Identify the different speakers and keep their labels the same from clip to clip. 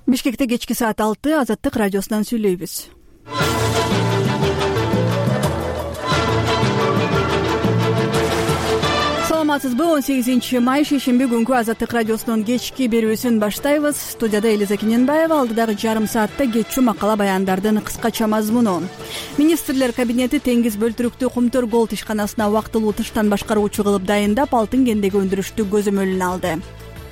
Speaker 1: Бишкекте кечки саат 6 Азаттык радиосунан сүйлөйбүз. Саламатсызбы? 18 май шейшемби күнкү Азаттык радиосунун кечки берүүсүн баштайбыз. Студияда Элиза Кененбаева, алдыдагы жарым саатта кечүү макала баяндардын кыскача мазмуну. Министрлер кабинети Теңиз бөлтүрүктүү Кумтөр Голд ишканасына убактылуу тыштан башкаруучу кылып дайындап, алтын кендеги өндүрүштү көзөмөлүнө алды.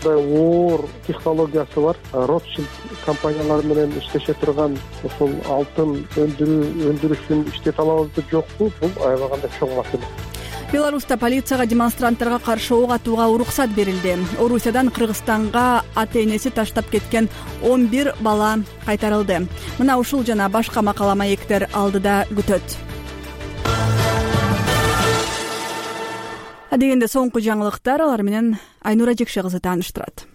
Speaker 2: Оор технологиясы бар. Ротшильд компаниялары менен иштеше турган ушул алтын өндүрүшүн иштете алабызбы жокпу? Бул аябаганда чоң маселе.
Speaker 1: Беларуста полицияга демонстранттарга каршы ок атууга уруксат берилди. Орусиядан Кыргызстанга ата-энеси таштап кеткен 11 бала кайтарылды. Мына ушул жана башка макала маектер алдыда күтөт. Адегенде соңку жаңылыктар, алар менен Айнура Жекше кызы тааныштырат.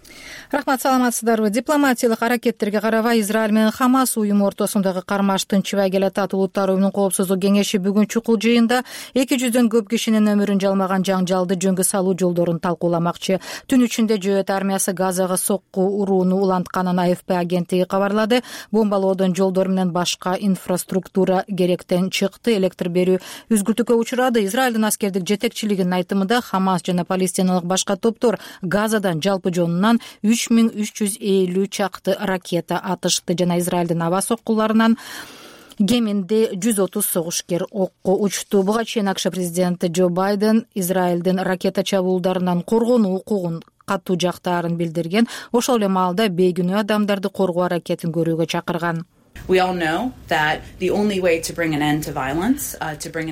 Speaker 3: Рахмат, саламатсыздарбы? Дипломатиялык аракеттерге карабай Израиль менен Хамас уюму ортосундагы кармаш тынчыбай келатат. Улуттар уюмунун коопсуздук кеңеши бүгүн чукул жыйында 200дөн көп кишинин өмүрүн жалмаган жаңжалды жөнгө салуу жолдорун талкууламакчы. Түн ичинде Жөөт армиясы Газага сокку урууну улантканын АФП агенттиги кабарлады. Бомбалоодон жолдор менен башка инфраструктура керектен чыкты. Электр берүү үзгүлтүккө учурады. Израилдин аскердик жетекчилигинин айтымында Хамас жана палестиналык башка топтор Газадан жалпы жонунан 3350 чакты ракета атышты жана Израилдин аба соккуларынан кеминде 130 согушкер окко учту. Буга чейин АКШ президенти Джо Байден Израилдин ракета чабуулдарынан коргонуу укугун катуу жактаарын билдирген. Ошол эле маалда бейгүнөө адамдарды коргоо аракетин көрүүгө чакырган.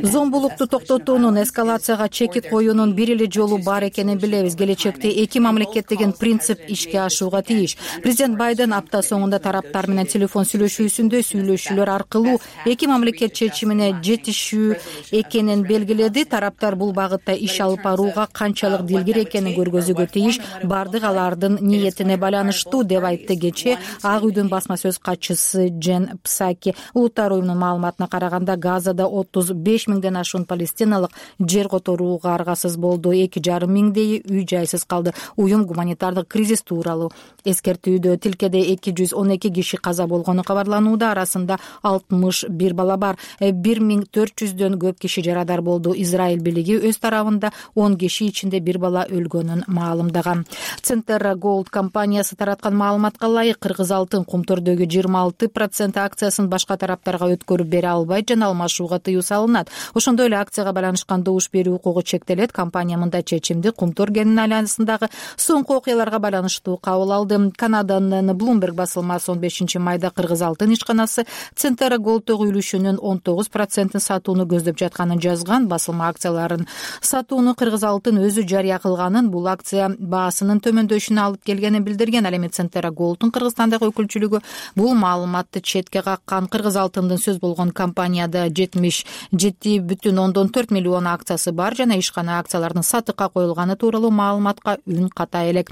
Speaker 3: Зомбулукту токтотуунун, эскалацияга чекит коюунун бир эле жолу бар экенин билебиз. Келечекте эки мамлекет деген принцип ишке ашууга тийиш. Президент Байден апта соңунда тараптар менен телефон сүйлөшүүсүндө сүйлөшүүлөр аркылуу эки мамлекет чечимине жетишүү экенин белгиледи. Тараптар бул багытта иш алып барууга канчалык дилгир экенин көргөзүүгө тийиш. Бардык алардын ниетине байланыштуу деп айтты кечээ Ак үйдүн басма сөз катчысы Джен Псаки. Улуттар уюмунун маалыматына караганда Газада 35 миңден ашуун палестиналык жер которууга аргасыз болду. 2,5 миңдейи үй жайсыз калды. Уюм гуманитардык кризис тууралуу эскертүүдө. Тилкеде 212 киши каза болгону кабарланууда. Арасында 61 бала бар. 1400дөн көп киши жарадар болду. Израиль бийлиги өз тарабында 10 киши ичинде бир бала өлгөнүн маалымдаган. Центера Голд компаниясы тараткан маалыматка ылайык кыргыз алтын Кумтөрдөгү 26% акциясын башка тараптарга өткөрүп бере албайт жана алмашууга тыюу салынат. Ошондой эле акцияга байланышкан добуш берүү укугу чектелет. Компания мындай чечимди Кумтөр кенинин айланасындагы соңку окуяларга байланыштуу кабыл алды. Канаданын Bloomberg басылмасы 15 майда кыргыз алтын ишканасы Центера Голдтогу үлүшүнүн 19% сатууну көздөп жатканын жазган. Басылма акцияларын сатууну кыргыз алтын өзү жарыя кылганын, бул акция баасынын төмөндөшүнө алып келгенин билдирген. Ал эми Центера Голдтун Кыргызстандагы өкүлчүлүгү бул маалыматты четке каккан. Кыргыз алтындын сөз болгон компанияда 77,4 миллион акциясы бар жана ишкана акциялардын сатыкка коюлганы тууралуу маалыматка үн ката элек.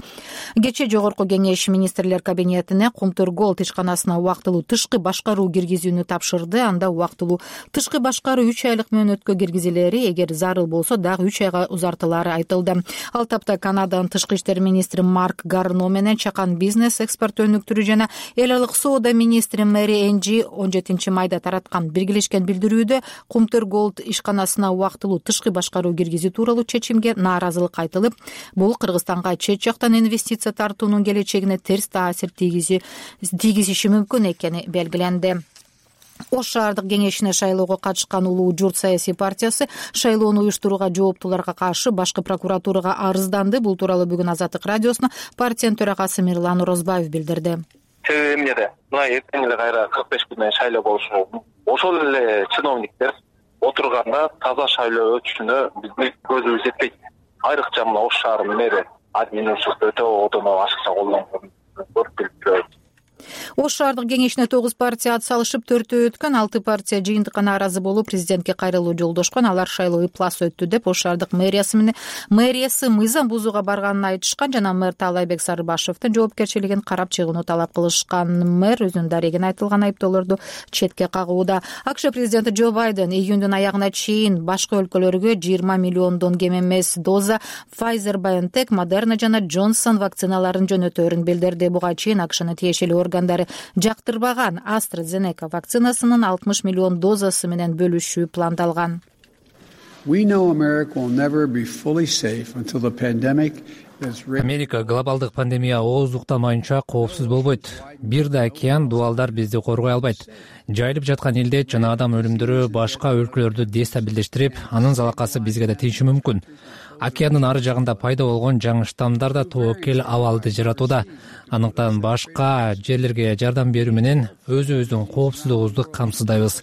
Speaker 3: Кечээ Жогорку кеңеш министрлер кабинетине Кумтөр Голд ишканасына убактылуу тышкы башкаруу киргизүүнү тапшырды. Анда убактылуу тышкы башкаруу 3 айлык мөөнөткө киргизилери, эгер зарыл болсо дагы 3 айга узартылары айтылды. Ал тапта Канаданын тышкы иштер министри Марк Гарно менен чакан бизнес, экспорт өнүктүрүү жана эл аралык соода министри Мэри Энджи 17 майда тараткан биргелешкен билдирүүдө Кумтөр Голд ишканасына убактылуу тышкы башкаруу киргизүү тууралуу чечимге нааразылык айтылып, бул Кыргызстанга чет жактан инвестиция тартуунун келечегине терс таасир тийгизиши мүмкүн экени белгиленди. Ош шаардык кеңешине шайлоого катышкан Улуу журт саясий партиясы шайлоону уюштурууга жооптуларга каршы башкы прокуратурага арызданды. Бул тууралуу бүгүн Азаттык радиосуна партиянын төрагасы Мирлан Орозбаев билдирди.
Speaker 4: Себеби эмнеде? Мына эртең эле кайра 45 күндөн шайлоо болушу мүмкүн. Ошол эле чиновниктер отурганда таза шайлоо өтүшүнө биздин көзүбүз жетпейт. Айрыкча мына Ош шаарынын мэри администрация өтө одоно ашыкча колдонгон көрүп билип.
Speaker 3: Ош шаардык кеңешине 9 партия ат салышып, 4 өткөн. 6 партия жыйынтыкка нааразы болуп, президентке кайрылуу жолдошкон. Алар шайлоо ыплас өттү деп Ош шаардык мэриясы мыйзам бузууга барганын айтышкан жана мэр Таалайбек Сарыбашевдин жоопкерчилигин карап чыгууну талап кылышкан. Мэр өзүнүн дарегин айтылган айыптоолорду четке кагууда. АКШ президенти Джо Байден июндун аягына чейин башка өлкөлөргө 20 миллиондон кем эмес доза Pfizer-BioNTech, Moderna жана Johnson вакциналарын жөнөтөөрүн билдирди. Буга чейин АКШнын тиешелүү органдары жактырбаган AstraZeneca вакцинасынын 60 миллион дозасы менен бөлүшүү пландалган.
Speaker 5: Америка глобалдык пандемия ооздуктамайынча коопсуз болбойт. Бир да океан дубалдар бизди коргой албайт. Жайылып жаткан илдет жана адам өлүмдөрү башка өлкөлөрдү дестабилдештирип, анын залакасы бизге да тийиши мүмкүн. Океандын ары жагында пайда болгон жаңы штаммдар да тобокел абалды жаратууда. Андыктан башка жерлерге жардам берүү менен өзүбүздүн коопсуздугубузду камсыздайбыз.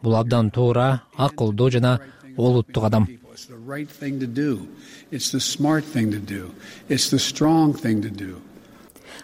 Speaker 5: Бул абдан туура, акылдуу жана олуттук кадам.
Speaker 6: It's the right thing to do. It's the smart thing to do. It's the strong thing to do.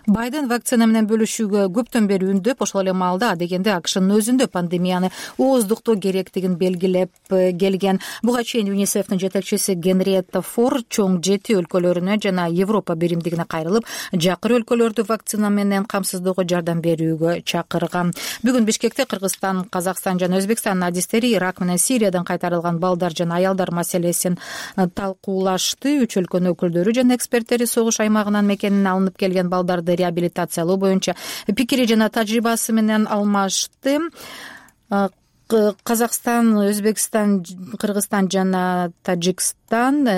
Speaker 3: Байден вакцина менен бөлүшүүгө көптөн бери үндөп, ошол эле маалда адегенде АКШнын өзүндө пандемияны ооздуктоо керектигин белгилеп келген. Буга чейин ЮНИСЕФтин жетекчиси Генриетта Фор чоң 7 өлкөлөрүнө жана Европа биримдигине кайрылып, жакыр өлкөлөрдү вакцина менен камсыздоого жардам берүүгө чакырган. Бүгүн Бишкекте Кыргызстан, Казакстан жана Өзбекстандын адистери Ирак менен Сириядан кайтарылган балдар жана аялдар маселесин талкуулашты. Үч өлкөнүн өкүлдөрү жана эксперттери согуш аймагынан мекенинен алынып келген балдарды реабилитациялоо боюнча пикири жана тажрыйбасы менен алмашты. Казакстан, Өзбекстан, Кыргызстан жана Тажикстан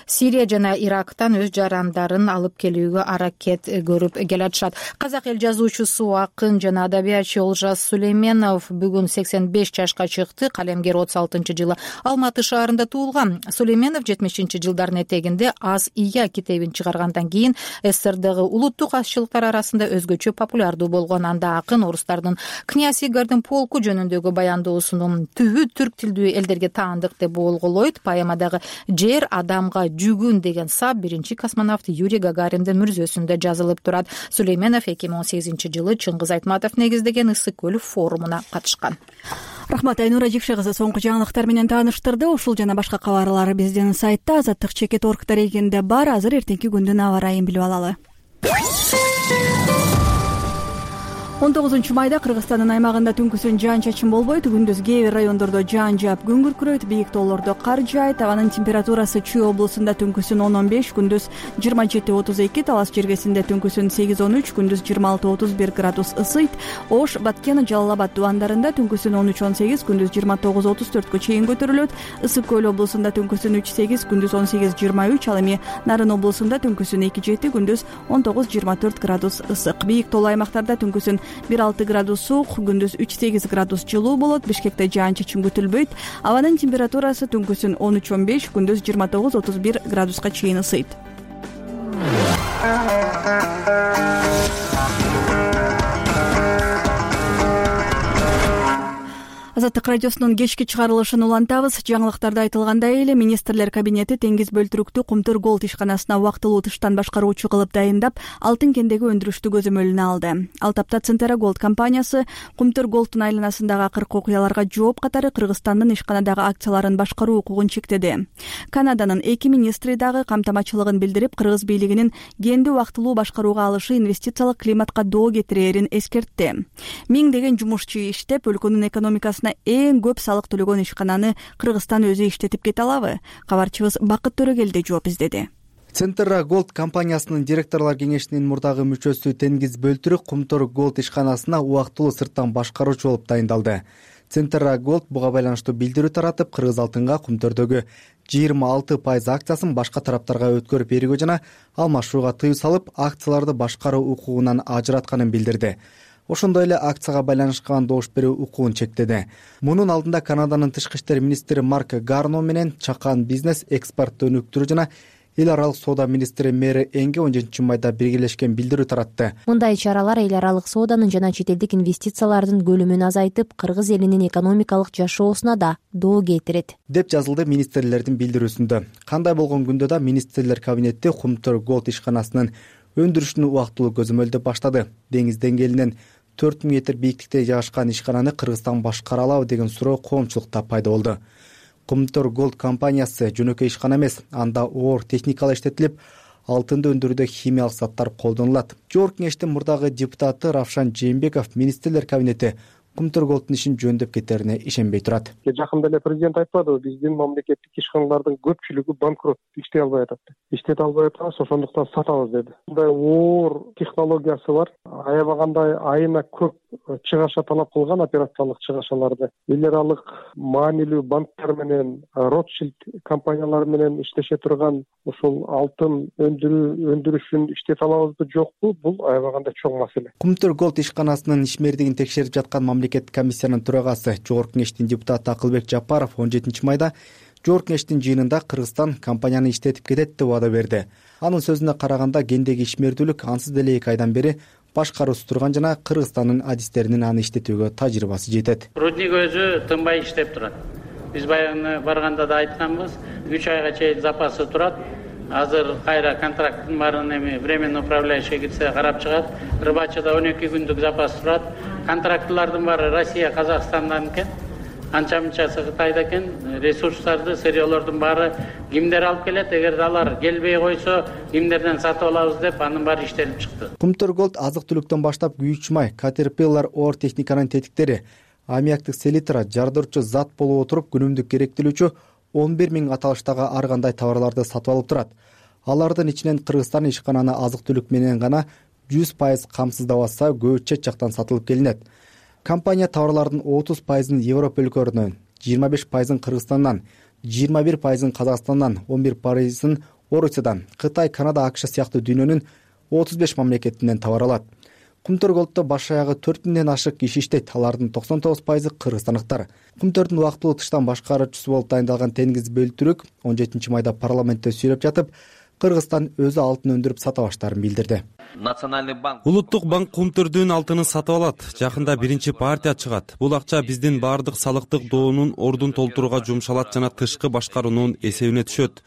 Speaker 3: Сирия жана Ирактан өз жарандарын алып келүүгө аракет көрүп келатышат. Казак эл жазуучусу, акын жана адабиятчы Олжас Сүлейменов бүгүн 85 жашка чыкты. Калемгер 36-жылы Алматы шаарында туулган. Сүлейменов 70-жылдардын этегинде Аз ия китебин чыгаргандан кийин СССРдагы улуттук азчылыктар арасында өзгөчө популярдуу болгон. Анда акын орустардын князь Игордун полку жөнүндөгү баяндоосунун түбү түрк тилдүү элдерге таандык деп болголойт. Поэмадагы жер адамга жүгүн деген сап биринчи космонавт Юрий Гагариндин мүрзөсүндө жазылып турат. Сүлейменов 2018-жылы Чыңгыз Айтматов негиздеген Ысык көл форумуна катышкан.
Speaker 1: Рахмат, Айнура Жикши кызы соңку жаңылыктар менен тааныштырды. Ушул жана башка кабарлар биздин сайтта azаттык.org дарегинде бар. Азыр эртеңки күндүн аба ырайын билип алалы. 19 майда Кыргызстандын аймагында түнкүсүн жаан-чачын болбойт. Күндүз кээ бир райондордо жаан жаап күн күркүрөйт, бийик тоолордо кар жаайт. Абанын температурасы Чүй облусунда түнкүсүн 10-15, күндүз 27-32, Талас жергесинде түнкүсүн 8-13, күндүз 26-31 градус ысыйт. Ош, Баткен, Жалал Абад дубандарында түнкүсүн 13-18, күндүз 29-34 чейин көтөрүлөт. Ысык көл облусунда түнкүсүн 3-8, күндүз 18-23, ал эми Нарын облусунда түнкүсүн 2-7, күндүз 19-24 градус ысык. Бийик тоолуу аймактарда түнкүсүн 1-6 градус суук, күндүз 3-8 градус жылуу болот. Бишкекте жаан-чачын күтүлбөйт. Абанын температурасы түнкүсүн 13-15, күндүз 29-31 градуска чейин ысыйт. Азаттык радиосунун кечки чыгарылышын улантабыз. Жаңылыктарда айтылгандай эле министрлер кабинети Теңиз Бөлтүрүктү Кумтур Голд ишканасына убактылуу тыштан башкаруучу кылып дайындап, алтын кендеги өндүрүштү көзөмөлүнө алды. Ал тапта Центера Голд компаниясы Кумтур Голдтун айланасындагы акыркы окуяларга жооп катары Кыргызстандын ишканадагы акцияларын башкаруу укугун чектеди. Канаданын 2 министри дагы камтамачылыгын билдирип, кыргыз бийлигинин кенди убактылуу башкарууга алышы инвестициялык климатка доо кетирээрин эскертти. Миңдеген жумушчу иштеп, өлкөнүн экономикасына эң көп салык төлөгөн ишкананы Кыргызстан өзү иштетип кете алабы? Кабарчыбыз Бакыт Төрөгелди жооп издеди.
Speaker 7: Центера Голд компаниясынын директорлор кеңешинин мурдагы мүчөсү Теңиз Бөлтүрүк Кумтур Голд ишканасына убактылуу сырттан башкаруучу болуп дайындалды. Центера Голд буга байланыштуу билдирүү таратып, кыргыз алтынга Кумтөрдөгү 26% акциясын башка тараптарга өткөрүп берүүгө жана алмашууга тыюу салып, акцияларды башкаруу укугунан ажыратканын билдирди. Ошондой эле акцияга байланышкан добуш берүү укугун чектеди. Мунун алдында Канаданын тышкы иштер министри Марк Гарно менен чакан бизнес, экспорт өнүктүрүү жана эл аралык соода министри Мэри Энге 17 майда биргелешкен билдирүү таратты.
Speaker 8: Мындай чаралар эл аралык сооданын жана чет элдик инвестициялардын көлөмүн азайтып, кыргыз элинин экономикалык жашоосуна да доо кетирет,
Speaker 7: деп жазылды министрлердин билдирүүсүндө. Кандай болгон күндө да министрлер кабинети Кумтур Голд ишканасынын өндүрүшүн убактылуу көзөмөлдөп баштады. Деңиз деңгээлинен 4000 метр бийиктикте жайгашкан ишкананы Кыргызстан башкара алабы деген суроо коомчулукта пайда болду. Кумтур Голд компаниясы жөнөкөй ишкана эмес, анда оор техникалар иштетилип, алтынды өндүрүүдө химиялык заттар колдонулат. Жогорку кеңештин мурдагы депутаты Равшан Жээнбеков министрлер кабинети Кумтур Голдтун ишин жөндөп кетерине ишенбей турат.
Speaker 2: Жакында эле президент айтпадыбы, биздин мамлекеттик ишканалардын көпчүлүгү банкрот, иштей албай атат. Иштете албай атабыз, ошондуктан сатабыз деди. Мындай оор технологиясы бар. Аябагандай айына көп чыгаша талап кылган, операциялык чыгашаларды. Эл аралык маанилүү банктар менен, Ротшильд компаниялары менен иштеше турган ушул алтын өндүрүшүн иштете алабызбы, жокпу? Бул аябагандай чоң маселе.
Speaker 7: Кумтур Голд ишканасынын ишмердигин текшерип жаткан мамлекеттик комиссиянын төрагасы, Жогорку кеңештин депутаты Акылбек Жапаров 17 майда Жогорку кеңештин жыйынында Кыргызстан компанияны иштетип кетет деп убада берди. Анын сөзүнө караганда, кендеги ишмердүүлүк ансыз деле 2 айдан бери башкаруусуз турган жана Кыргызстандын адистеринин аны иштетүүгө тажрыйбасы жетет.
Speaker 9: Рудник өзү тынбай иштеп турат. Биз баягы барганда да айтканбыз, 3 айга чейин запасы турат. Азыр кайра контракттын баарын временный управляющий кетсе карап чыгат. Рыбачыда 12 күндүк запас турат. Контрактлардын баары Россия, Казакстандан экен. Анча-мынчасы Кытайда экен. Ресурстарды, сырьёлордун баары кимдер алып келет? Эгер алар келбей койсо, кимдерден сатып алабыз деп анын баары иштелип чыкты.
Speaker 7: Кумтур Голд азык-түлүктөн баштап күйүүчү май, Caterpillar оор техниканын тетиктери, аммиактык селитра, жардырчу зат болуп отуруп күнүмдүк керектелүүчү 11 000 аталыштагы ар кандай товарларды сатып алып турат. Алардын ичинен Кыргызстан ишкананы азык-түлүк менен гана 100% камсыздабаса, көбү чет жактан сатылып келинет. Компания товарлардын 30%-ын Европа өлкөлөрүнөн, 25%-ын Кыргызстандан, 21%-ын Казакстандан, 11%-ын Орусиядан, Кытай, Канада, АКШ сыяктуу дүйнөнүн 35 мамлекетинен товар алат. Кумтур Голдто баш аягы 4000ден ашык киши иштейт. Алардын 99%-ы кыргызстандыктар. Кумтурдун убактылуу тыштан башкаруучусу болуп дайындалган Тенгиз Бөлтүрүк 17 майда парламентте сүйлөп жатып, Кыргызстан өзү алтын өндүрүп сата баштаарын билдирди.
Speaker 10: Улуттук банк Кумтурдун алтынын сатып алат. Жакында биринчи партия чыгат. Бул акча биздин баардык салыктык доонун ордун толтурууга жумшалат жана тышкы башкаруунун эсебине түшөт.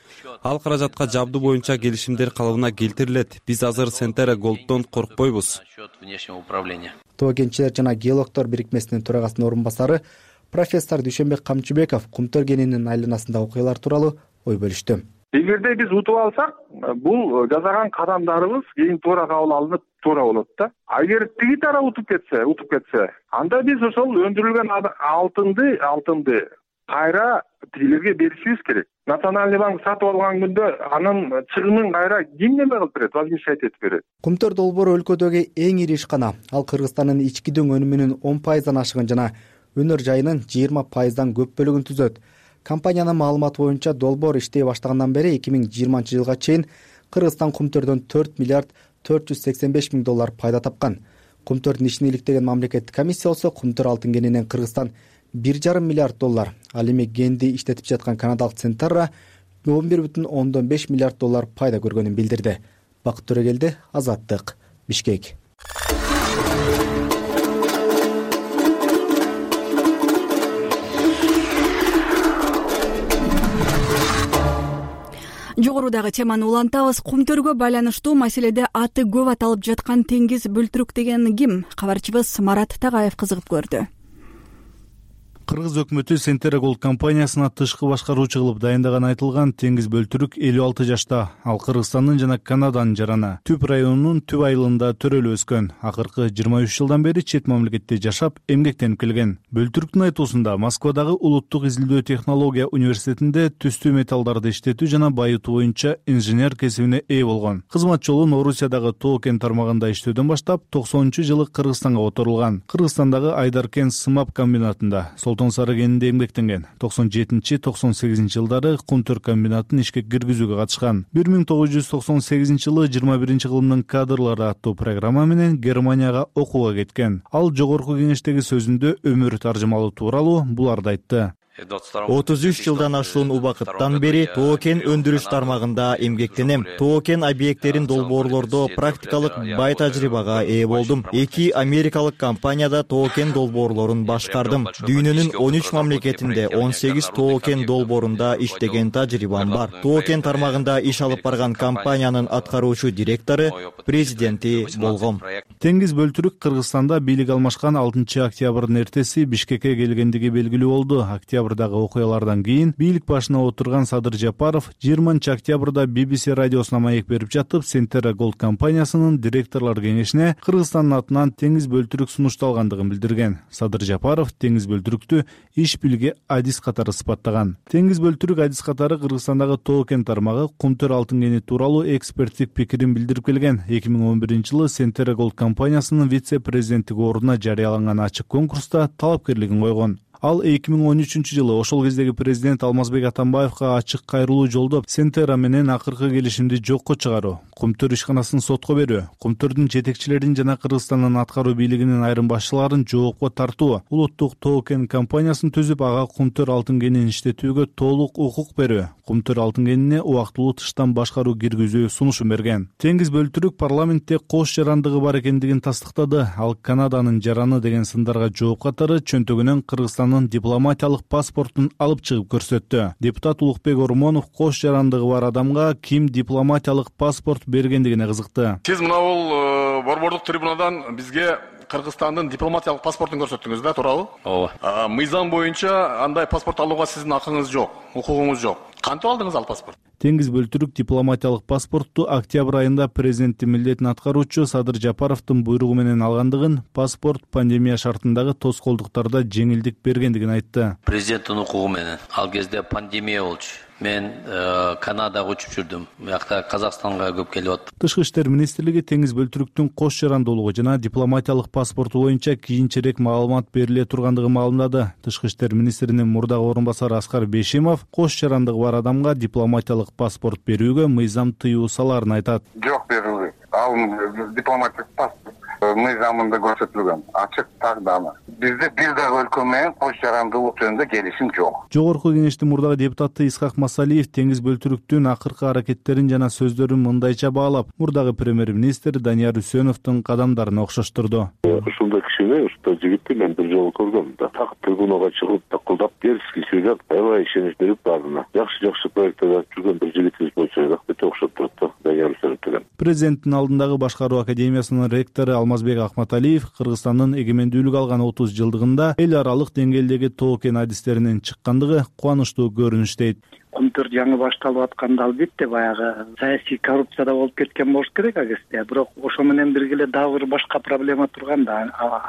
Speaker 10: Ал каражатка жабдуу боюнча келишимдер калыбына келтирилет. Биз азыр Centera Goldдон коркпойбуз.
Speaker 7: Тоо кенчилер жана геологдор бирикмесинин төрагасынын орун басары профессор Дүйшөнбек Камчыбеков Кумтур кенинин айланасындагы окуялар тууралуу ой бөлүштү.
Speaker 11: Эгерде биз утуп алсак, бул жасаган кадамдарыбыз кийин туура кабыл алынып туура болот да. Эгер тиги тарап утуп кетсе, анда биз ошол өндүрүлгөн алтынды кайра тигилерге беришибиз керек. Национальный банк сатып алган күндө анын чыгымын кайра ким неме кылып берет, возмещать этип берет.
Speaker 7: Кумтур долбоору өлкөдөгү эң ири ишкана. Ал Кыргызстандын ички дөң өнүмүнүн 10%дан ашыгын жана өнөр жайынын 20%дан көп бөлүгүн түзөт. Компаниянын маалыматы боюнча долбоор иштей баштагандан бери 2020 жылга чейин Кыргызстан Кумтурдон 4 миллиард 485 миң доллар пайда тапкан. Кумтурдун ишин иликтеген мамлекеттик комиссия болсо Кумтур алтын кенинен Кыргызстан 1,5 миллиард доллар, ал эми кенди иштетип жаткан канадалык Centera 11,5 миллиард доллар пайда көргөнүн билдирди. Бакыт Төрөгелди, Азаттык, Бишкек.
Speaker 1: Жогорудагы теманы улантабыз. Кумтөргө байланыштуу маселеде аты көп аталып жаткан Тенгиз Бөлтүрүк деген ким? Кабарчыбыз Марат Тагаев кызыгып көрдү.
Speaker 12: Кыргыз өкмөтү Centera Gold компаниясына тышкы башкаруучу кылып дайындаганы айтылган Тенгиз Бөлтүрүк 56 жашта. Ал Кыргызстандын жана Канаданын жараны. Түп районунун түп айылында төрөлүп өскөн. Акыркы 23 жылдан бери чет мамлекетте жашап, эмгектенип келген. Бөлтүрүктүн айтуусунда Москвадагы Улуттук изилдөө технология университетинде түстүү металлдарды иштетүү жана байытуу боюнча инженер кесибине ээ болгон. Кызмат жолун Орусиядагы Тоо-кен тармагында иштөөдөн баштап 90-жылы Кыргызстанга которулган. Кыргызстандагы Айдаркен сымап комбинатында Солтон Сары кенинде эмгектенген. 97-98 жылдары Кумтур комбинатын ишке киргизүүгө катышкан. 1998 жылы 21 кылымдын кадрлары аттуу программа менен Германияга окууга кеткен. Ал жогорку кеңештеги сөзүндө өмүр таржымалоо тууралуу буларды айтты.
Speaker 13: 33 жылдан ашуун убакыттан бери Тоо-кен өндүрүш тармагында эмгектенем. Тоо-кен объекттерин долбоорлордо практикалык бай тажрыйбага ээ болдум. 2 америкалык компанияда Тоо-кен долбоорлорун башкардым. Дүйнөнүн 13 мамлекетинде 18 Тоо-кен долбоорунда иштеген тажрыйбам бар. Тоо-кен тармагында иш алып барган компаниянын аткаруучу директору, президенти болгом.
Speaker 12: Теңиз Бөлтүрүк Кыргызстанда бийлик алмашкан 6 октябрдын эртеси Бишкекке келгендиги белгилүү болду. Октябрдагы окуялардан кийин бийлик башына отурган Садыр Жапаров 20 октябрда BBC радиосуна маек берип жатып, Centera Gold компаниясынын директорлор кеңешине Кыргызстандын атынан Теңиз Бөлтүрүк сунушталгандыгын билдирген. Садыр Жапаров Теңиз Бөлтүрүктү иш билге адис катары сыпаттаган. Теңиз Бөлтүрүк адис катары Кыргызстандагы тоо кен тармагы Кумтөр алтын кени тууралуу эксперттик пикирин билдирип келген. 2011-жылы Centera Gold компаниясынын вице-президенттик ордуна жарыяланган ачык конкурста талапкерлигин койгон. Ал 2013-жылы ошол кездеги президент Алмазбек Атамбаевга ачык кайрылуу жолдоп, Centera менен акыркы келишимди жокко чыгаруу, Кумтөр ишканасын сотко берүү, Кумтөрдүн жетекчилерин жана Кыргызстандын аткаруу бийлигинин айрым башчыларын жоопко тартуу, улуттук тоо кен компаниясын түзүп, ага Кумтөр алтын кенин иштетүүгө толук укук берүү, Кумтөр алтын кенине убактылуу тыштан башкаруу киргизүү сунушун берген. Теңиз Бөлтүрүк парламентте кош жарандыгы бар экендигин тастыктады. Ал Канаданын жараны деген сындарга жооп катары чөнтөгүнөн Кыргызстандын дипломатиялык паспортун алып чыгып көрсөттү. Депутат Улукбек Ормонов кош жарандыгы бар адамга ким дипломатиялык паспорт бергендигине кызыкты.
Speaker 14: Сиз мына бул борбордук трибунадан бизге Кыргызстандын дипломатиялык паспортун көрсөттүңүз да, туурабы? Ооба. Мыйзам боюнча андай паспорт алууга сиздин акыңыз жок, укугуңуз жок. Кантип алдыңыз ал паспорт?
Speaker 12: Теңиз Бөлтүрүк дипломатиялык паспортту октябрь айында президенттин милдетин аткаруучу Садыр Жапаровдун буйругу менен алгандыгын, паспорт пандемия шартындагы тоскоолдуктарда жеңилдик бергендигин айтты.
Speaker 15: Президенттин укугу менен ал кезде пандемия болчу. Мен Канадага учуп жүрдүм. Буякта Казакстанга көп келип аттым.
Speaker 12: Тышкы иштер министрлиги Теңиз Бөлтүрүктүн кош жарандуулугу жана дипломатиялык паспорту боюнча кийинчерээк маалымат бериле тургандыгын маалымдады. Тышкы иштер министринин мурдагы орун басары Аскар Бейшимов кош жарандыгы бар адамга дипломатиялык паспорт берүүгө мыйзам тыюу салаарын айтат.
Speaker 16: Жок берилди. Ал дипломатиялык паспорт мыйзамында көрсөтүлгөн. Ачык тагданы. Бизде бир дагы өлкө менен кош жарандуулук жөнүндө келишим жок.
Speaker 12: Жогорку кеңештин мурдагы депутаты Исхак Масалиев Теңиз Бөлтүрүктүн акыркы аракеттерин жана сөздөрүн мындайча баалап, мурдагы премьер-министр Данияр Үсөновдун кадамдарын окшоштурду.
Speaker 17: Ушундай кишини, ушундай жигитти мен бир жолу көргөм да. Так трибунага чыгып, такылдап, дерзкий сүйлөп, аябай ишенич берип бардына. Жакшы проекттер жүргөн бир жигитибиз болчу, рахмет окшоп турат да, Данияр Үсөнов деген.
Speaker 12: Президенттин алдындагы башкаруу академиясынын ректору Алмазбек Ахматалиев Кыргызстандын эгемендүүлүк алган 30 жылдыгында эл аралык деңгээлдеги тоо кен адистеринин чыккандыгы кубанычтуу көрүнүш дейт.
Speaker 18: Кумтөр жаңы башталып атканда албетте баягы саясий коррупцияда болуп кеткен болуш керек агесте. Бирок ошо менен бирге дагы бир башка проблема турган да.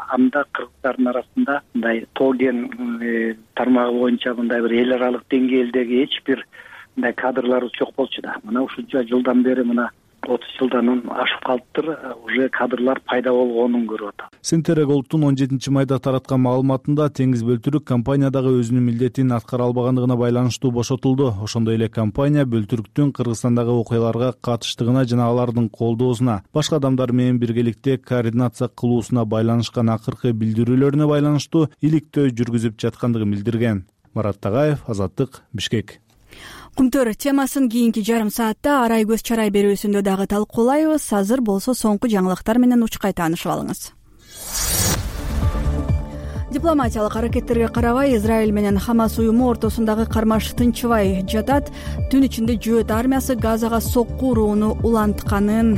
Speaker 18: Анда кыргыздардын арасында мындай тоо кен тармагы боюнча мындай бир эл аралык деңгээлдеги эч бир мындай кадрларыбыз жок болчу да. Мына ушунча жылдан бери мына 30 жылдан ашып калыптыр, уже кадрлар пайда болгонун көрүп атат.
Speaker 12: Centera Gold'тун 17 майда тараткан маалыматында Теңиз Бөлтүрүк компаниядагы өзүнүн милдетин аткара албагандыгына байланыштуу бошотулду. Ошондой эле компания Бөлтүрүктүн Кыргызстандагы окуяларга катыштыгына жана алардын колдоосуна, башка адамдар менен биргеликте координация кылуусуна байланышкан акыркы билдирүүлөрүнө байланыштуу иликтөө жүргүзүп жаткандыгын билдирген. Марат Тагаев, Азаттык, Бишкек.
Speaker 1: Кумтөр темасын кийинки жарым саатта арай көз чарай берүүсүндө дагы талкуулайбыз. Азыр болсо соңку жаңылыктар менен учкай таанышып алыңыз. Дипломатиялык аракеттерге карабай Израиль менен Хамас уюму ортосундагы кармаш тынчыбай жатат. Түн ичинде Жөөт армиясы Газага сокку урууну улантканын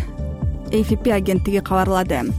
Speaker 1: AFP агенттиги кабарлады.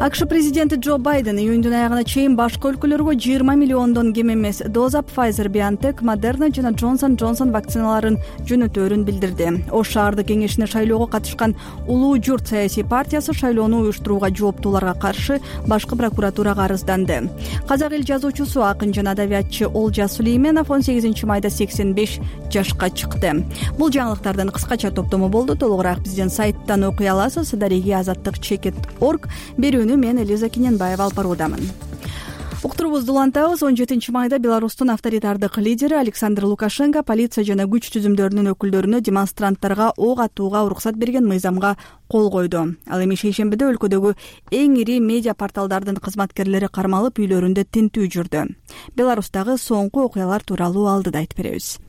Speaker 1: АКШ президенти Джо Байден июндун аягына чейин башка өлкөлөргө 20 миллиондон кем эмес доза Pfizer-BioNTech, Moderna жана Johnson & Johnson вакциналарын жөнөтөөрүн билдирди. Ош шаардык кеңешине шайлоого катышкан Улуу журт саясий партиясы шайлоону уюштурууга жооптууларга каршы башкы прокуратурага арызданды. Казак эл жазуучусу, акын жана адабиятчы Олжас Сүлейменов 18 майда 85 жашка чыкты. Бул жаңылыктардын кыскача топтому болду. Толугураак биздин сайттан окуй аласыз. Дареги азаттык.org. Берүүнү мен Элиза Кененбаева алып баруудамын. Уктурубузду улантабыз. 17 майда Беларустун авторитардык лидери Александр Лукашенко полиция жана күч түзүмдөрүнүн өкүлдөрүнө демонстранттарга ок атууга уруксат берген мыйзамга кол койду. Ал эми шейшембиде өлкөдөгү эң ири медиа порталдардын кызматкерлери кармалып үйлөрүндө тинтүү жүрдү. Беларустагы соңку окуялар тууралуу алдыда айтып беребиз.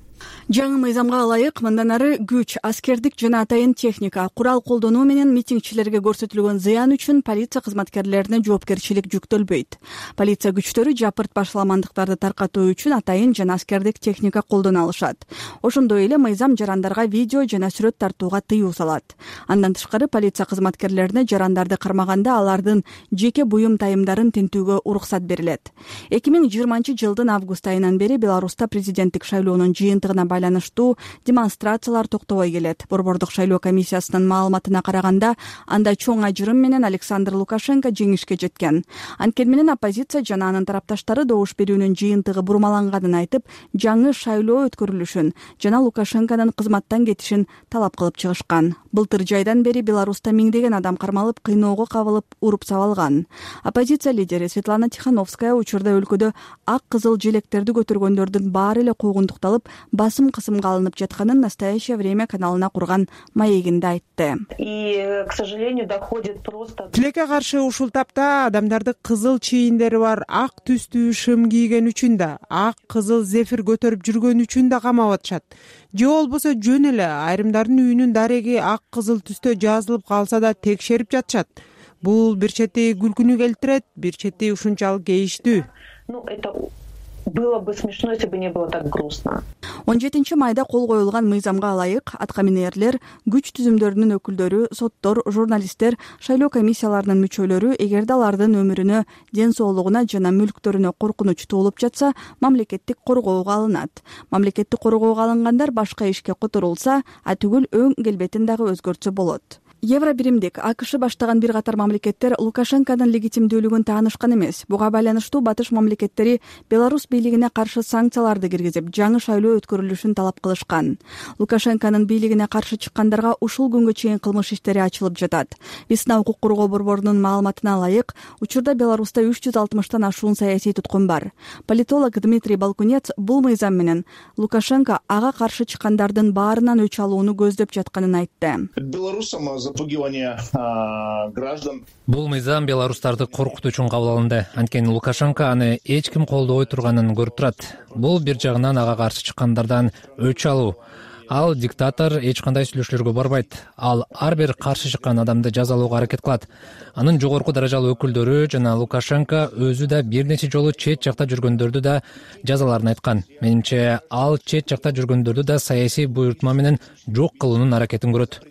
Speaker 1: Жаңы мыйзамга ылайык мындан ары күч, аскердик жана атайын техника, курал колдонуу менен митингчилерге көрсөтүлгөн зыян үчүн полиция кызматкерлерине жоопкерчилик жүктөлбөйт. Полиция күчтөрү жапырт башаламандыктарды таркатуу үчүн атайын жана аскердик техника колдоно алышат. Ошондой эле мыйзам жарандарга видео жана сүрөт тартууга тыюу салат. Андан тышкары полиция кызматкерлерине жарандарды кармаганда алардын жеке буюм тайымдарын тинтүүгө уруксат берилет. 2020-жылдын август айынан бери Беларуста президенттик шайлоонун жыйынтыгына байланыштуу демонстрациялар токтобой келет. Борбордук шайлоо комиссиясынын маалыматына караганда, анда чоң ажырым менен Александр Лукашенко жеңишке жеткен. Анткени менен оппозиция жана анын тарапташтары добуш берүүнүн жыйынтыгы бурмаланганын айтып, жаңы шайлоо өткөрүлүшүн жана Лукашенконун кызматтан кетишин талап кылып чыгышкан. Былтыр жайдан бери Беларуста миңдеген адам кармалып, кыйноого кабылып, уруп сабалган. Оппозиция лидери Светлана Тихановская учурда өлкөдө ак кызыл желектерди көтөргөндөрдүн баары эле куугунтукталып, басым кысымга алынып жатканын «Настоящее время» каналына курган маегинде айтты.
Speaker 19: И, к сожалению, доходит просто...
Speaker 20: Тилекке каршы ушул тапта адамдарды кызыл чийиндери бар ак түстүү шым кийген үчүн да, ак кызыл зефир көтөрүп жүргөн үчүн да камап атышат. Же болбосо жөн эле айрымдардын үйүнүн дареги ак кызыл түстө жазылып калса да текшерип жатышат. Бул бир чети күлкүнү келтирет, бир чети ушунчалык кейиштүү.
Speaker 19: Это было бы смешно, если бы не было так грустно.
Speaker 1: 17 майда кол коюлган мыйзамга ылайык аткаминерлер, күч түзүмдөрүнүн өкүлдөрү, соттор, журналисттер, шайлоо комиссияларынын мүчөлөрү эгерде алардын өмүрүнө, ден соолугуна жана мүлктөрүнө коркунуч туулуп жатса, мамлекеттик коргоого алынат. Мамлекеттик коргоого алынгандар башка ишке которулса, түгүл өң келбетин дагы өзгөртсө болот. Евробиримдик АКШ баштаган бир катар мамлекеттер Лукашенконун легитимдүүлүгүн таанышкан эмес. Буга байланыштуу батыш мамлекеттери Беларусь бийлигине каршы санкцияларды киргизип, жаңы шайлоо өткөрүлүшүн талап кылышкан. Лукашенконун бийлигине каршы чыккандарга ушул күнгө чейин кылмыш иштери ачылып жатат. Весна укук коргоо борборунун маалыматына ылайык, учурда Беларуста 360тан ашуун саясий туткун бар. Политолог Дмитрий Балкунец бул мыйзам менен Лукашенко ага каршы чыккандардын баарынан өч алууну көздөп жатканын айтты.
Speaker 5: Бул мыйзам беларустарды коркутуу үчүн кабыл алынды. Анткени Лукашенко аны эч ким колдобой турганын көрүп турат. Бул бир жагынан ага каршы чыккандардан өч алуу. Ал диктатор эч кандай сүйлөшүүлөргө барбайт. Ал ар бир каршы чыккан адамды жазалоого аракет кылат. Анын жогорку даражалуу өкүлдөрү жана Лукашенко өзү да бир нече жолу чет жакта жүргөндөрдү да жазаларын айткан. Менимче, ал чет жакта жүргөндөрдү да саясий буйртма менен жок кылуунун аракетин көрөт.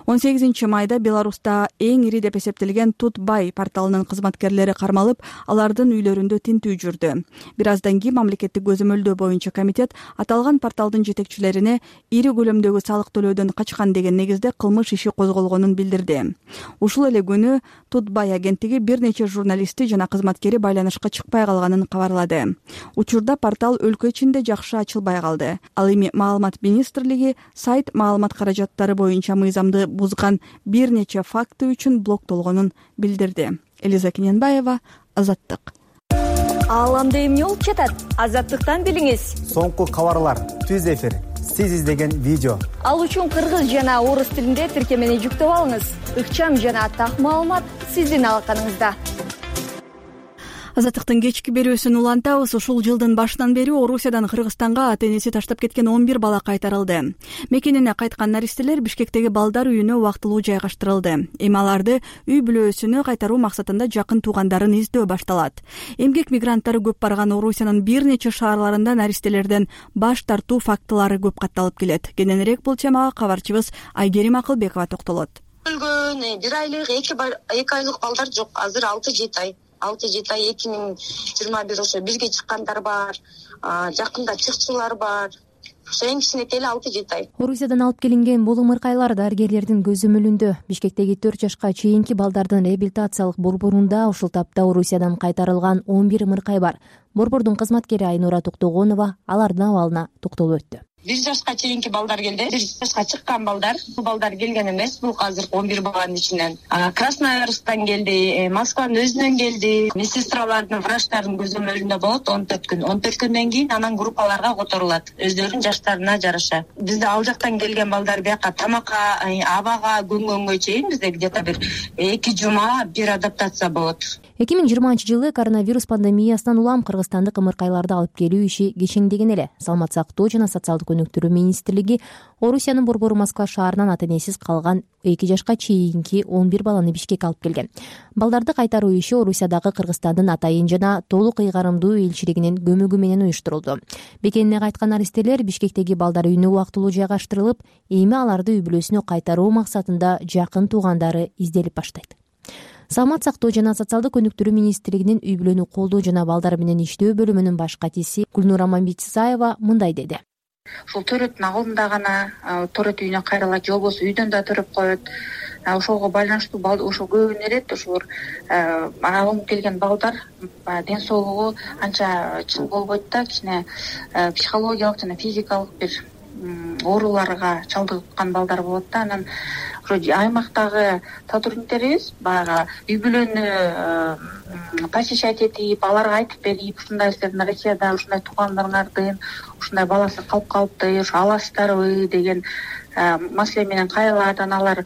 Speaker 1: 18 майда Беларуста эң ири деп эсептелген Тутбай порталынын кызматкерлери кармалып, алардын үйлөрүндө тинтүү жүрдү. Бир аздан кийин мамлекеттик көзөмөлдөө боюнча комитет аталган порталдын жетекчилерине ири көлөмдөгү салык төлөөдөн качкан деген негизде кылмыш иши козголгонун билдирди. Ушул эле күнү Тутбай агенттиги бир нече журналисти жана кызматкери байланышка чыкпай калганын кабарлады. Учурда портал өлкө ичинде жакшы ачылбай калды. Ал эми Маалымат министрлиги сайт маалымат каражаттары боюнча мыйзамды бузган бир нече факты үчүн блоктолгонун билдирди. Элиза Кененбаева, Азаттык.
Speaker 21: Ааламда эмне болуп жатат? Азаттыктан билиңиз.
Speaker 22: Соңку кабарлар, түз эфир, сиз издеген видео.
Speaker 21: Ал үчүн кыргыз жана орус тилинде тиркемени жүктөп алыңыз. Ыкчам жана так маалымат сиздин алаканыңызда.
Speaker 1: Азаттыктын кечки берүүсүн улантабыз. Ушул жылдын башынан бери Орусиядан Кыргызстанга ата-энеси таштап кеткен 11 бала кайтарылды. Мекенине кайткан наристелер Бишкектеги балдар үйүнө убактылуу жайгаштырылды. Эми аларды үй бүлөсүнө кайтаруу максатында жакын туугандарын издөө башталат. Эмгек мигранттары көп барган Орусиянын бир нече шаарларында наристелерден баш тартуу фактылары көп катталып келет. Кененирээк бул темага кабарчыбыз Айгерим Акылбекова токтолот.
Speaker 23: Өлгөн 1 айлык 2 айлык балдар жок. Азыр 6-7 ай. 6-7 ай 2021 ошо бирге чыккандар бар, жакында чыкчулар бар. Ошо эң кичинекей 6-7 ай.
Speaker 8: Орусиядан алып келинген болуң ыркайлар дарыгерлердин көзөмөлүндө. Бишкектеги 4 жашка чейинки балдардын реабилитациялык борборунда ушул тапта Орусиядан кайтарылган 11 ыркай бар. Борбордун кызматкери Айнура Токтогонова алардын абалына токтолуп өттү.
Speaker 23: 1 жашка чейинки балдар келди. 1 жашка чыккан балдар, бул балдар келген эмес. Бул азыр 11 баланын ичинен. Красноярсктан келди, Москванын өзүнөн келди. Медсестралардын, врачтардын көзөмөлүндө болот 14 күн. 14 күндөн кийин анан группаларга которулат, өздөрүнүн жаштарына жараша. Бизде ал жактан келген балдар бияка тамакка, абага көнгөнгө чейин бизде где-то бир 2 жума бир адаптация болот.
Speaker 8: 2020-жылы коронавирус пандемиясынан улам кыргызстандык ымыркайларды алып келүү иши кечеңдеген эле. Саламат сактоо жана социалдык өнүктүрүү министрлиги Орусиянын борбору Москва шаарынан ата-энесиз калган 2 жашка чейинки 11 баланы Бишкекке алып келген. Балдарды кайтаруу иши Орусиядагы Кыргызстандын атайын жана толук ыйгарымдуу элчилигинин көмөгү менен уюштурулду. Бекенине кайткан аристелер Бишкектеги балдар үйүнө убактылуу жайгаштырылып, эми аларды үй бүлөсүнө кайтаруу максатында жакын туугандары изделип баштайт. Саламат сактоо жана социалдык өнүктүрүү министрлигинин үй бүлөнү колдоо жана балдар менен иштөө бөлүмүнүн баш катиси Гүлнура Мамбетисаева мындай деди.
Speaker 3: Ушул төрөттүн алдында гана төрөт үйүнө кайрылат, же болбосо үйдөн да төрөп коет. Ошого байланыштуу ошо көбүнө элет ушул алынып келген балдар ден соолугу анча чың болбойт да, кичине психологиялык жана физикалык бир ооруларга чалдыккан балдар болот да. Анан аймактагы сотрудниктерибиз баягы үй бүлөнү посещать этип, аларга айтып берип, ушундай силердин Россияда ушундай туугандарыңардын ушундай баласы калып калыпты, ушу аласыздарбы деген маселе менен кайрылат. Анан алар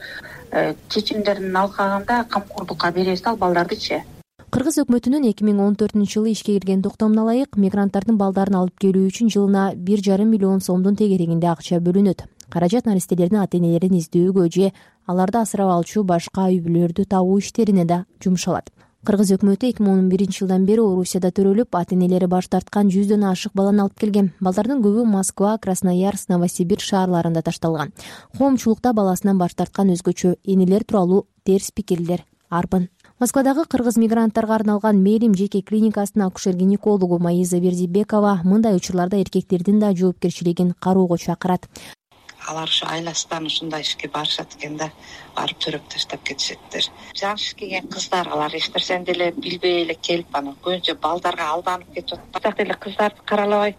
Speaker 3: чечимдерин алкаганда камкордукка беребиз ал балдардычы.
Speaker 8: Кыргыз өкмөтүнүн 2014-жылы ишке кирген токтомуна ылайык мигранттардын балдарын алып келүү үчүн жылына 1,5 миллион сомдун тегерегинде акча бөлүнөт. Каражат наристелердин ата-энелерин издөөгө же аларды асырап алчу башка үй бүлөлөрдү табуу иштерине да жумшалат. Кыргыз өкмөтү 2011-жылдан бери Орусияда төрөлүп, ата-энелери баш тарткан 100дөн ашык баланы алып келген. Балдардын көбү Москва, Красноярск, Новосибирск шаарларында ташталган. Коомчулукта баласынан баш тарткан өзгөчө энелер тууралуу терс пикирлер арбын. Москвадагы кыргыз мигранттарга арналган Мээрим жеке клиникасынын акушер-гинекологу Маиза Бердибекова мындай учурларда эркектердин да жоопкерчилигин кароого чакырат.
Speaker 4: Алар ушу айласынан ушундай ишке барышат экен да, барып төрөп таштап кетишеттир. Жаш келген кыздар алар эч нерсени деле билбей эле келип, анан көбүнчө балдарга алданып кетип атат. Так эле кыздарды каралабай,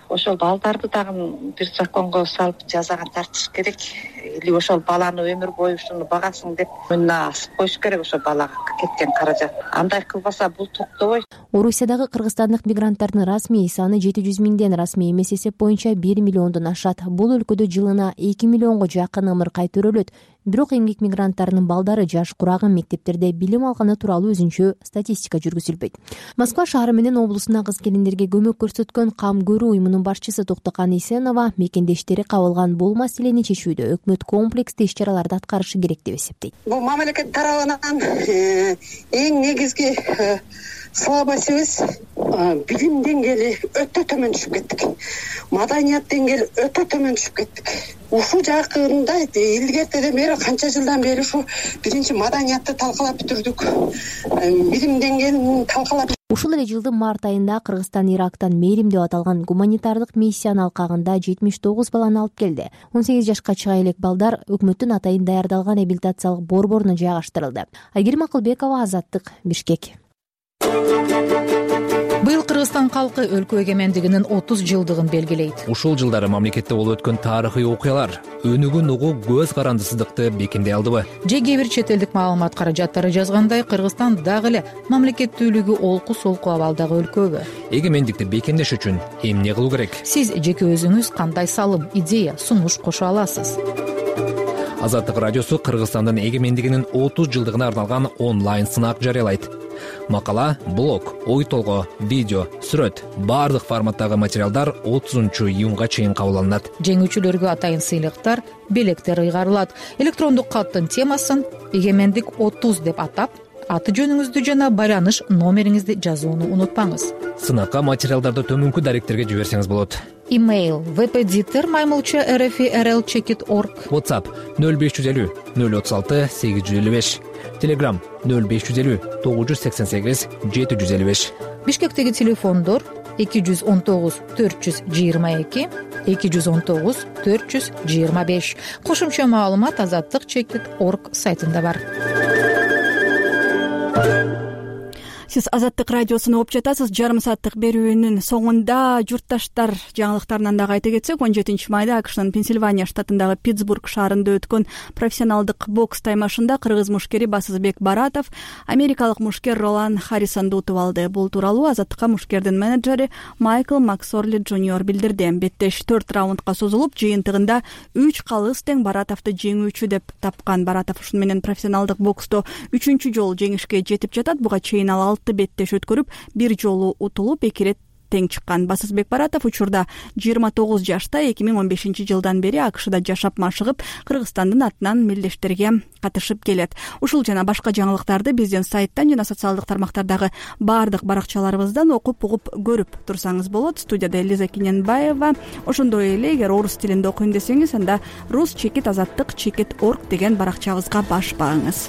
Speaker 4: ошол балдарды дагы бир законго салып жазаға тартыш керек. Или ошол баланы өмүр бою ушуну багасың деп мына асып коюш керек ошол балага кеткен каражат. Андай кылбаса бул токтобойт.
Speaker 8: Орусиядагы кыргызстандык мигранттардын расмий саны 700 миңден, расмий эмес эсеп боюнча 1 миллиондон ашат. Бул өлкөдө жылына 2 миллионго жакын ымыркай төрөлөт. Бирок эмгек мигранттарынын балдары жаш кураган мектептерде билим алганы тууралуу өзүнчө статистика жүргүзүлбөйт. Москва шаары менен облусуна кыз-келиндерге көмөк көрсөткөн Кам көрүү уюмунун башчысы Токтокан Исенова мекендештери кабылган бул маселени чечүүдө өкмөт комплекстүү иш-чараларды аткарышы керек деп эсептейт.
Speaker 6: Бул мамлекет тарабынан эң негизги слабостьбиз билим деңгээли өтө төмөн түшүп кеттик. Маданият деңгээли өтө төмөн түшүп кеттик. Ушул жакында илгертеден бери канча жылдан бери ушу биринчи маданиятты талкалап бүтүрдүк. Билим деңгээлин талкалап.
Speaker 8: Ушул эле жылдын март айында Кыргызстан Ирактан Мээрим деп аталган гуманитардык миссиянын алкагында 79 баланы алып келди. 18 жашка чыга элек балдар өкмөттүн атайын даярдалган реабилитациялык борборуна жайгаштырылды. Айгерим Акылбекова, Азаттык, Бишкек.
Speaker 24: Быйыл Кыргызстан калкы өлкө эгемендигинин 30 жылдыгын белгилейт.
Speaker 5: Ушул жылдары мамлекетте болуп өткөн тарыхый окуялар өнүгүн угуп көз карандысыздыкты бекемдей алдыбы?
Speaker 24: Же кээ бир чет элдик маалымат каражаттары жазгандай, Кыргызстан дагы эле мамлекеттүүлүгү олку-солку абалдагы өлкөбү?
Speaker 5: Эгемендикти бекемдеш үчүн эмне кылуу керек?
Speaker 24: Сиз жеке өзүңүз кандай салым, идея, сунуш кошо аласыз?
Speaker 5: Азаттык радиосу Кыргызстандын эгемендигинин 30 жылдыгына арналган онлайн сынак жарыялайт. Макала, блог, ой толгоо, видео, сүрөт, баардык форматтагы материалдар 30-июнга чейин кабыл алынат.
Speaker 24: Жеңүүчүлөргө атайын сыйлыктар, белектер ыйгарылат. Электрондук каттын темасын эгемендик 30 деп атап, аты жөнүңүздү жана байланыш номериңизди жазууну унутпаңыз.
Speaker 5: Сынакка материалдарды төмөнкү даректерге жиберсеңиз болот.
Speaker 24: Имейл vpditer@rlcheckit.org.
Speaker 5: WhatsApp 0550 036 855. Telegram 0550 988 755.
Speaker 24: Бишкектеги телефондор 219 422 219 425. Кошумча маалымат azattikchekit.org сайтында бар.
Speaker 1: сиз Азаттык радиосун угуп жатасыз. Жарым сааттык берүүнүн соңунда журтташтар жаңылыктарынан дагы айта кетсек, 17 майда АКШнын Пенсильвания штатындагы Питтсбург шаарында өткөн профессионалдык бокс таймашында кыргыз мушкери Басызбек Баратов америкалык мушкер Ролан Харрисонду утуп алды. Бул тууралуу Азаттыкка мушкердин менеджери Майкл Максорли Джуниор билдирди. Беттеш 4 раундка созулуп, жыйынтыгында 3 калыс тең Баратовду жеңүүчү деп тапкан. Баратов ушуну менен профессионалдык боксто 3-чү жолу жеңишке жетип жатат. Буга чейин ал 6 беттеш өткөрүп, бир жолу утулуп, 2 рет тең чыккан. Басызбек Баратов учурда 29 жашта, 2015 жылдан бери АКШда жашап машыгып, Кыргызстандын атынан мелдештерге катышып келет. Ушул жана башка жаңылыктарды биздин сайттан жана социалдык тармактардагы баардык баракчаларыбыздан окуп, угуп, көрүп турсаңыз болот. Студияда Элиза Кененбаева. Ошондой эле, эгер орус тилинде окуйм десеңиз, анда rus-azattik.org деген баракчабызга баш багыңыз.